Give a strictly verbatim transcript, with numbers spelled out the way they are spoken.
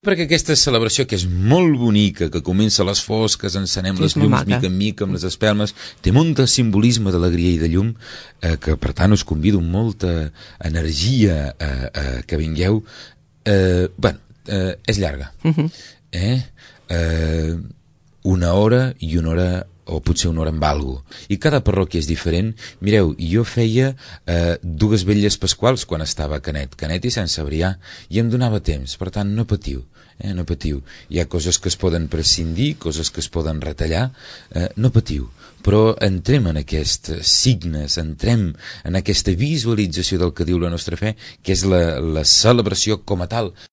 perquè aquesta celebració, que és molt bonica, que comença a les fosques, encenem Sí, les és molt llums maca. mica en mica amb les espelmes, té molt de simbolisme d'alegria i de llum, eh, que per tant us convido amb molta energia eh, eh, que vingueu. Eh, bueno, eh, és llarga. Mhm. Eh? Eh, una hora i una hora o potser una hora amb algo. I cada parròquia és diferent. Mireu, jo feia eh, dues vetlles pasquals quan estava a Canet, Canet i Sant Cebrià, i em donava temps, per tant no patiu, eh, no patiu. Hi ha coses que es poden prescindir, coses que es poden retallar, eh, no patiu, però entrem en aquests signes, entrem en aquesta visualització del que diu la nostra fe, que és la, la celebració com a tal.